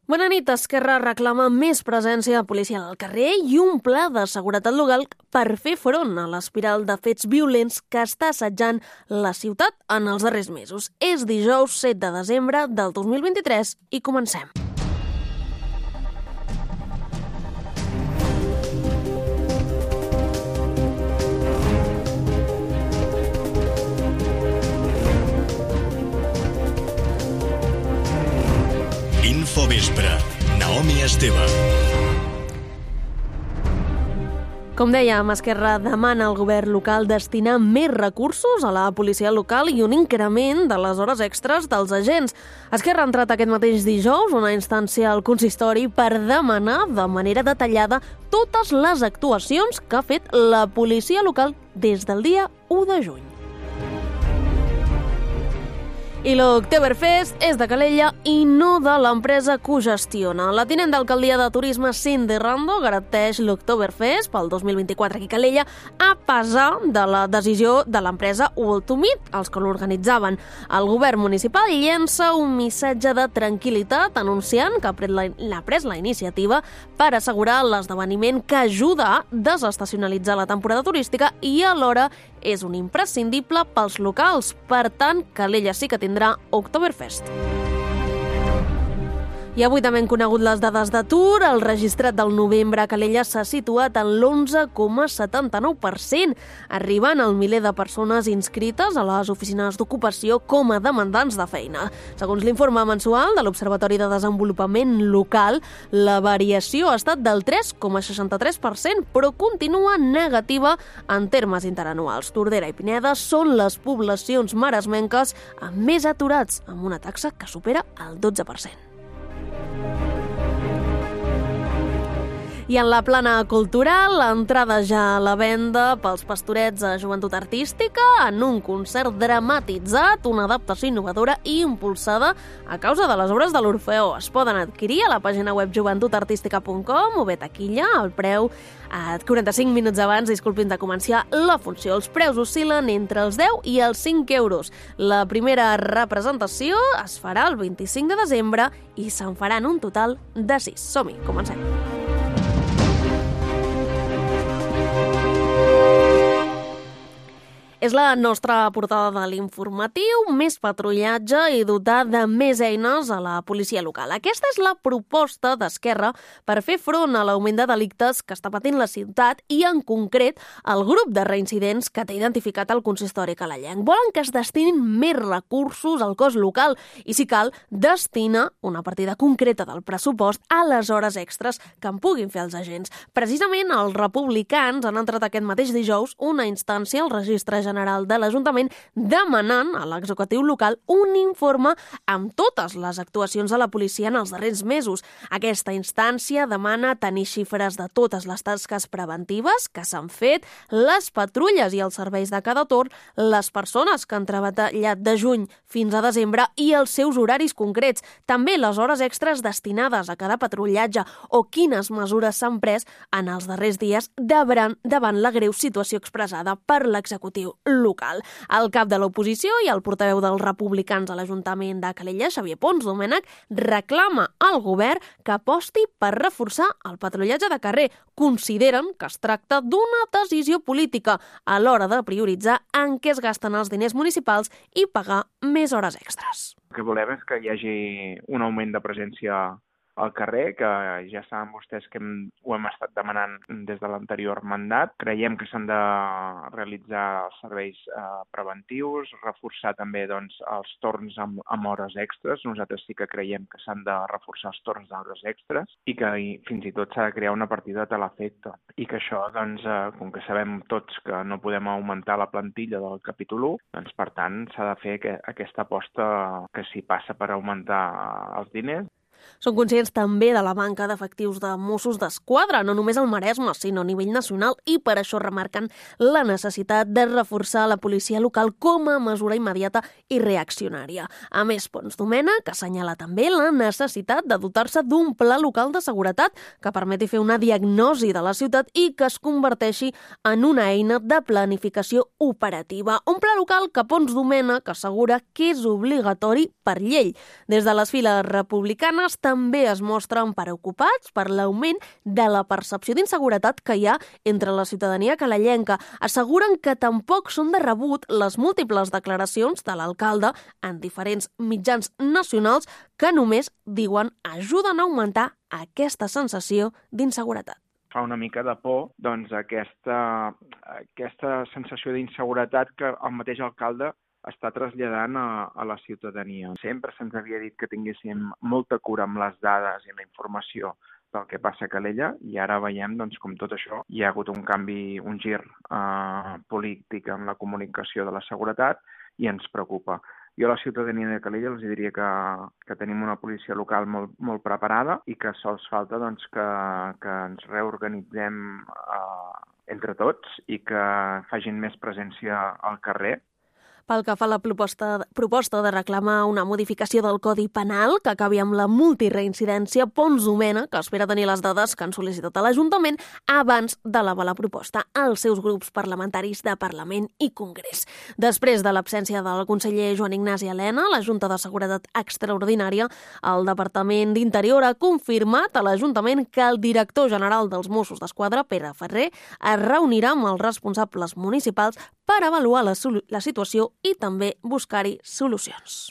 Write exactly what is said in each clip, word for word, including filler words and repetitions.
Bona nit. Esquerra reclama més presència policial al carrer i un pla de seguretat local per fer front a l'espiral de fets violents que està assetjant la ciutat en els darrers mesos. És dijous set de desembre del dos mil vint-i-tres i comencem. Infovespre, Naomi Esteve. Com dèiem, Esquerra demana al govern local destinar més recursos a la policia local i un increment de les hores extres dels agents. Esquerra ha entrat aquest mateix dijous una instància al consistori per demanar de manera detallada totes les actuacions que ha fet la policia local des del dia u de juny. I l'Oktoberfest és de Calella i no de l'empresa que ho gestiona. La tinent d'alcaldia de turisme Cindy Rando garanteix l'Oktoberfest pel dos mil vint-i-quatre aquí a Calella a pesar de la decisió de l'empresa World to Meet, els que l'organitzaven. El govern municipal llença un missatge de tranquil·litat anunciant que ha pres la, ha pres la iniciativa per assegurar l'esdeveniment que ajuda a desestacionalitzar la temporada turística i alhora és un imprescindible pels locals. Per tant, Calella sí que tindrà Oktoberfest. I avui també hem conegut les dades d'atur. El registrat del novembre a Calella s'ha situat en l'onze coma setanta-nou per cent, arribant al miler de persones inscrites a les oficines d'ocupació com a demandants de feina. Segons l'informe mensual de l'Observatori de Desenvolupament Local, la variació ha estat del tres coma seixanta-tres per cent, però continua negativa en termes interanuals. Tordera i Pineda són les poblacions maresmenques amb més aturats, amb una taxa que supera el dotze per cent. I en la plana cultural, l'entrada ja a la venda pels Pastorets a Joventut Artística en un concert dramatitzat, una adaptació innovadora i impulsada a causa de les obres de l'Orfeó. Es poden adquirir a la pàgina web joventut artística punt com o bé taquilla, el preu a quaranta-cinc minuts abans, disculpin, de començar la funció. Els preus oscil·len entre els deu i els cinc euros. La primera representació es farà el vint-i-cinc de desembre i se'n faran un total de sis. Som-hi, comencem. És la nostra portada de l'informatiu, més patrullatge i dotar de més eines a la policia local. Aquesta és la proposta d'Esquerra per fer front a l'augment de delictes que està patint la ciutat i, en concret, el grup de reincidents que té identificat el consistori calellenc. Volen que es destinin més recursos al cos local i, si cal, destina una partida concreta del pressupost a les hores extres que en puguin fer els agents. Precisament, els republicans han entrat aquest mateix dijous una instància al registre general de l'Ajuntament demanant a l'executiu local un informe amb totes les actuacions de la policia en els darrers mesos. Aquesta instància demana tenir xifres de totes les tasques preventives que s'han fet, les patrulles i els serveis de cada torn, les persones que han treballat de juny fins a desembre i els seus horaris concrets, també les hores extres destinades a cada patrullatge o quines mesures s'han pres en els darrers dies davant, davant la greu situació expressada per l'executiu local. El cap de l'oposició i el portaveu dels republicans a l'Ajuntament de Calella, Xavier Pons Domènech, reclama al govern que aposti per reforçar el patrullatge de carrer. Consideren que es tracta d'una decisió política a l'hora de prioritzar en què es gasten els diners municipals i pagar més hores extres. El que volem és que hi hagi un augment de presència al carrer, que ja saben vostès que hem, ho hem estat demanant des de l'anterior mandat. Creiem que s'han de realitzar els serveis eh, preventius, reforçar també doncs, els torns amb, amb hores extres. Nosaltres sí que creiem que s'han de reforçar els torns d'hores extres i que i, fins i tot s'ha de crear una partida de teleefecte. I que això, doncs, eh, com que sabem tots que no podem augmentar la plantilla del capítol u, doncs, per tant, s'ha de fer que, aquesta aposta que s'hi passa per augmentar els diners. Són conscients també de la manca d'efectius de Mossos d'Esquadra, no només al Maresme, sinó a nivell nacional, i per això remarquen la necessitat de reforçar la policia local com a mesura immediata i reaccionària. A més, Pons Domènech assenyala també la necessitat de dotar-se d'un pla local de seguretat que permeti fer una diagnosi de la ciutat i que es converteixi en una eina de planificació operativa. Un pla local que Pons Domènech assegura que és obligatori per llei. Des de les files republicanes també es mostren preocupats per l'augment de la percepció d'inseguretat que hi ha entre la ciutadania calellenca. Asseguren que tampoc són de rebut les múltiples declaracions de l'alcalde en diferents mitjans nacionals que només, diuen, ajuden a augmentar aquesta sensació d'inseguretat. Fa una mica de por doncs, aquesta, aquesta sensació d'inseguretat que el mateix alcalde està traslladant a, a la ciutadania. Sempre se'ns havia dit que tinguéssim molta cura amb les dades i la informació del que passa a Calella i ara veiem doncs, com tot això hi ha hagut un canvi, un gir eh, polític en la comunicació de la seguretat i ens preocupa. Jo a la ciutadania de Calella els diria que, que tenim una policia local molt, molt preparada i que sols falta doncs, que, que ens reorganitzem eh, entre tots i que facin més presència al carrer. Pel que fa a la proposta, proposta de reclamar una modificació del Codi Penal que acabi amb la multireincidència, Pons Domènech, que espera tenir les dades que han sol·licitat a l'Ajuntament abans d'elevar la proposta als seus grups parlamentaris de Parlament i Congrés. Després de l'absència del conseller Joan Ignasi Elena, la Junta de Seguretat Extraordinària, el Departament d'Interior ha confirmat a l'Ajuntament que el director general dels Mossos d'Esquadra, Pere Ferrer, es reunirà amb els responsables municipals per avaluar la, la situació i també buscar-hi solucions.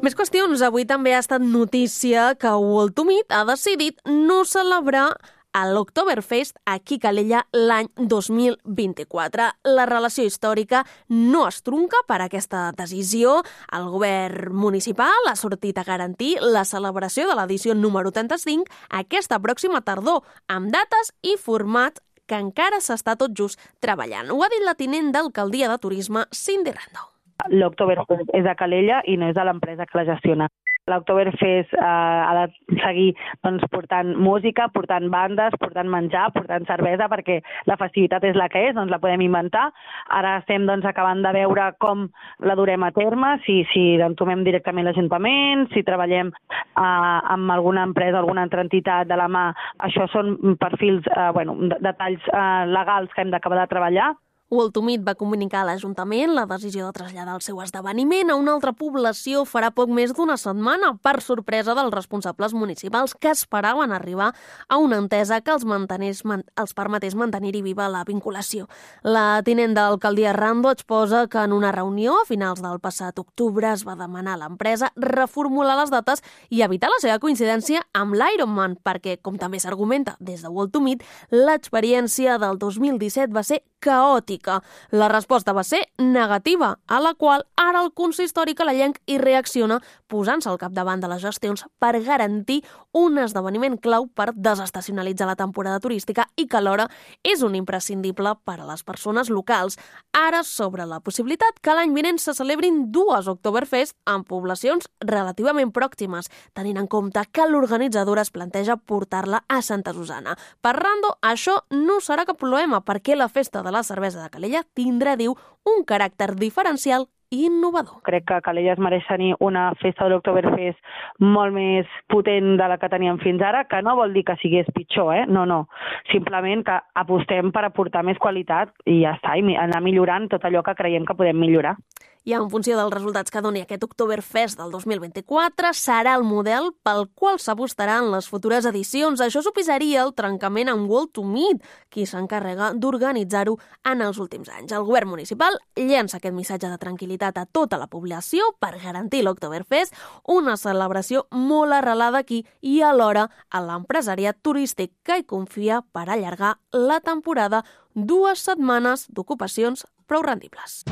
Més qüestions. Avui també ha estat notícia que World to Meet ha decidit no celebrar a l'Oktoberfest aquí a Calella l'any dos mil vint-i-quatre. La relació històrica no es trunca per aquesta decisió. El govern municipal ha sortit a garantir la celebració de l'edició número trenta-cinc aquesta pròxima tardor, amb dates i formats que encara s'està tot just treballant. Ho ha dit la tinent d'alcaldia de turisme, Cindy Rando. L'Oktoberfest és de Calella i no és de l'empresa que la gestiona. L'Oktoberfest eh, ha de seguir doncs, portant música, portant bandes, portant menjar, portant cervesa, perquè la festivitat és la que és, doncs la podem inventar. Ara estem doncs, acabant de veure com la durem a terme, si, si entomem directament l'Ajuntament, si treballem eh, amb alguna empresa, alguna altra entitat de la mà. Això són perfils, eh, bueno, detalls eh, legals que hem d'acabar de treballar. World to Meet va comunicar a l'Ajuntament la decisió de traslladar el seu esdeveniment a una altra població farà poc més d'una setmana, per sorpresa dels responsables municipals que esperaven arribar a una entesa que els, mantenés, els permetés mantenir-hi viva la vinculació. La tinent d'alcaldia Rando exposa que en una reunió a finals del passat octubre es va demanar a l'empresa reformular les dates i evitar la seva coincidència amb l'Ironman, perquè, com també s'argumenta des de World to Meet, l'experiència del dos mil disset va ser caòtica. La resposta va ser negativa, a la qual ara el consistori calellenc hi reacciona posant-se al capdavant de les gestions per garantir un esdeveniment clau per desestacionalitzar la temporada turística i que alhora és un imprescindible per a les persones locals. Ara sobre la possibilitat que l'any vinent se celebrin dues Oktoberfest en poblacions relativament pròximes, tenint en compte que l'organitzadora es planteja portar-la a Santa Susana. Per Rando, això no serà cap problema perquè la festa de la cervesa de Calella tindrà, diu, un caràcter diferencial i innovador. Crec que Calella es mereix tenir una festa de l'Oktoberfest molt més potent de la que teníem fins ara, que no vol dir que sigués pitjor, eh? No, no. Simplement que apostem per aportar més qualitat i ja està, i anar millorant tot allò que creiem que podem millorar. I en funció dels resultats que doni aquest Oktoberfest del dos mil vint-i-quatre, serà el model pel qual s'apostarà en les futures edicions. Això suposaria el trencament amb World to Meet, qui s'encarrega d'organitzar-ho en els últims anys. El govern municipal llença aquest missatge de tranquil·litat a tota la població per garantir l'Oktoberfest, una celebració molt arrelada aquí i alhora a l'empresariat turístic que hi confia per allargar la temporada dues setmanes d'ocupacions prou rendibles.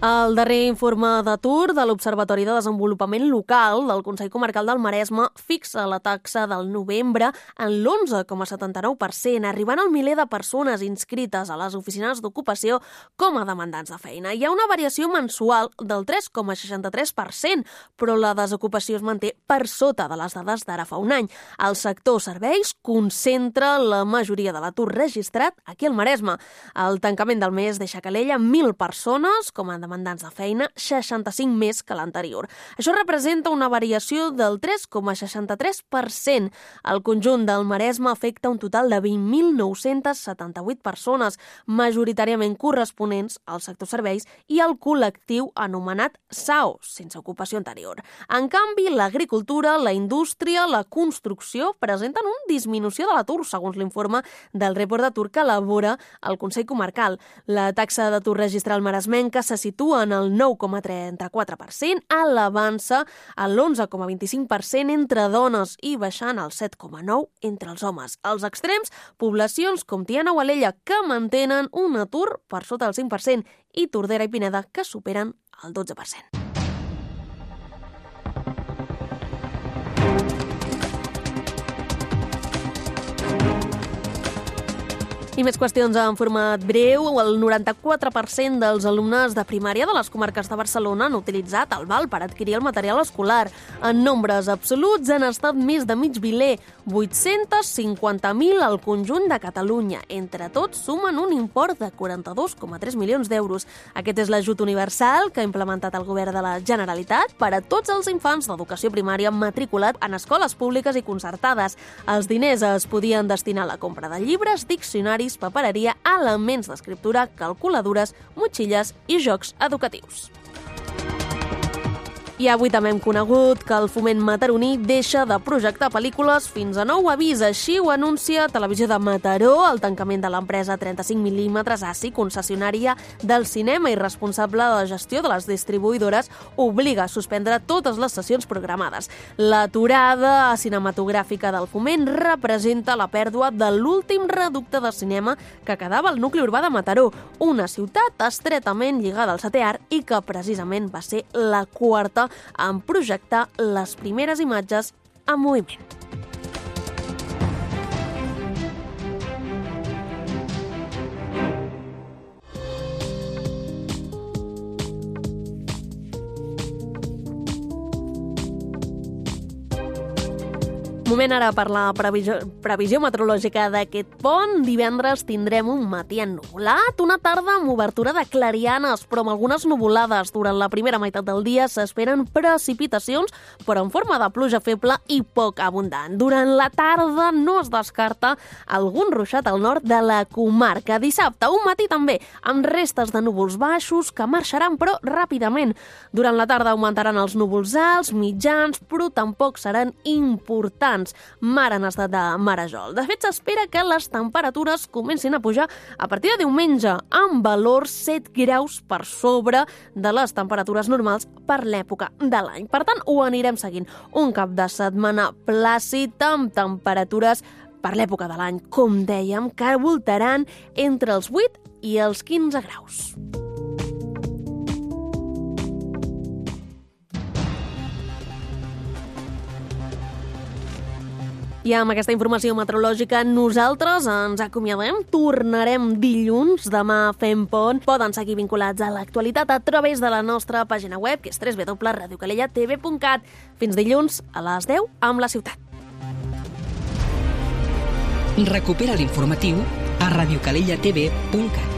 El darrer informe d'atur de l'Observatori de Desenvolupament Local del Consell Comarcal del Maresme fixa la taxa del novembre en l'onze coma setanta-nou per cent, arribant al miler de persones inscrites a les oficines d'ocupació com a demandants de feina. Hi ha una variació mensual del tres coma seixanta-tres per cent, però la desocupació es manté per sota de les dades d'ara fa un any. El sector serveis concentra la majoria de l'atur registrat aquí al Maresme. El tancament del mes deixa a Calella mil persones com a demandants de feina, seixanta-cinc més que l'anterior. Això representa una variació del tres coma seixanta-tres per cent. El conjunt del Maresme afecta un total de vint mil nou-cents setanta-vuit persones, majoritàriament corresponents al sector serveis i al col·lectiu anomenat S A O, sense ocupació anterior. En canvi, l'agricultura, la indústria, la construcció presenten una disminució de l'atur, segons l'informe del report d'atur que elabora el Consell Comarcal. La taxa d'atur registral maresmenca se situa en el nou coma trenta-quatre per cent, elevant-se a l'onze coma vint-i-cinc per cent entre dones i baixant al set coma nou per cent entre els homes. Als extrems, poblacions com Tiana o Alella que mantenen un atur per sota del cinc per cent i Tordera i Pineda que superen el dotze per cent. I més qüestions en format breu. El noranta-quatre per cent dels alumnes de primària de les comarques de Barcelona han utilitzat el val per adquirir el material escolar. En nombres absoluts han estat més de mig miler, vuit-cents cinquanta mil al conjunt de Catalunya. Entre tots sumen un import de quaranta-dos coma tres milions d'euros. Aquest és l'ajut universal que ha implementat el govern de la Generalitat per a tots els infants d'educació primària matriculat en escoles públiques i concertades. Els diners es podien destinar a la compra de llibres, diccionaris, papereria, elements d'escriptura, calculadores, motxilles i jocs educatius. I avui també hem conegut que el Foment mataroní deixa de projectar pel·lícules fins a nou avís. Així ho anuncia Televisió de Mataró, el tancament de l'empresa trenta-cinc mil·límetres A C I, concessionària del cinema i responsable de la gestió de les distribuïdores, obliga a suspendre totes les sessions programades. L'aturada cinematogràfica del Foment representa la pèrdua de l'últim reducte de cinema que quedava al nucli urbà de Mataró, una ciutat estretament lligada al setè art i que precisament va ser la quarta en projectar les primeres imatges en moviment. Moment ara per la previsió, previsió meteorològica d'aquest pont. Divendres tindrem un matí ennuvolat, una tarda amb obertura de clarianes, però amb algunes nuvolades. Durant la primera meitat del dia s'esperen precipitacions, però en forma de pluja feble i poc abundant. Durant la tarda no es descarta algun ruixat al nord de la comarca. Dissabte, un matí també, amb restes de núvols baixos que marxaran, però ràpidament. Durant la tarda augmentaran els núvols alts, mitjans, però tampoc seran importants. Mar en estat de marejol. De fet, s'espera que les temperatures comencin a pujar a partir de diumenge, amb valors set graus per sobre de les temperatures normals per l'època de l'any. Per tant, ho anirem seguint. Un cap de setmana plàcid amb temperatures per l'època de l'any, com dèiem, que voltaran entre els vuit i els quinze graus. I amb aquesta informació meteorològica nosaltres ens acomiadem. Tornarem dilluns, demà fem pont. Poden seguir vinculats a l'actualitat a través de la nostra pàgina web, que és w w w punt radio calella t v punt cat. Fins dilluns a les deu amb La Ciutat. Recupera l'informatiu a radio calella t v punt cat.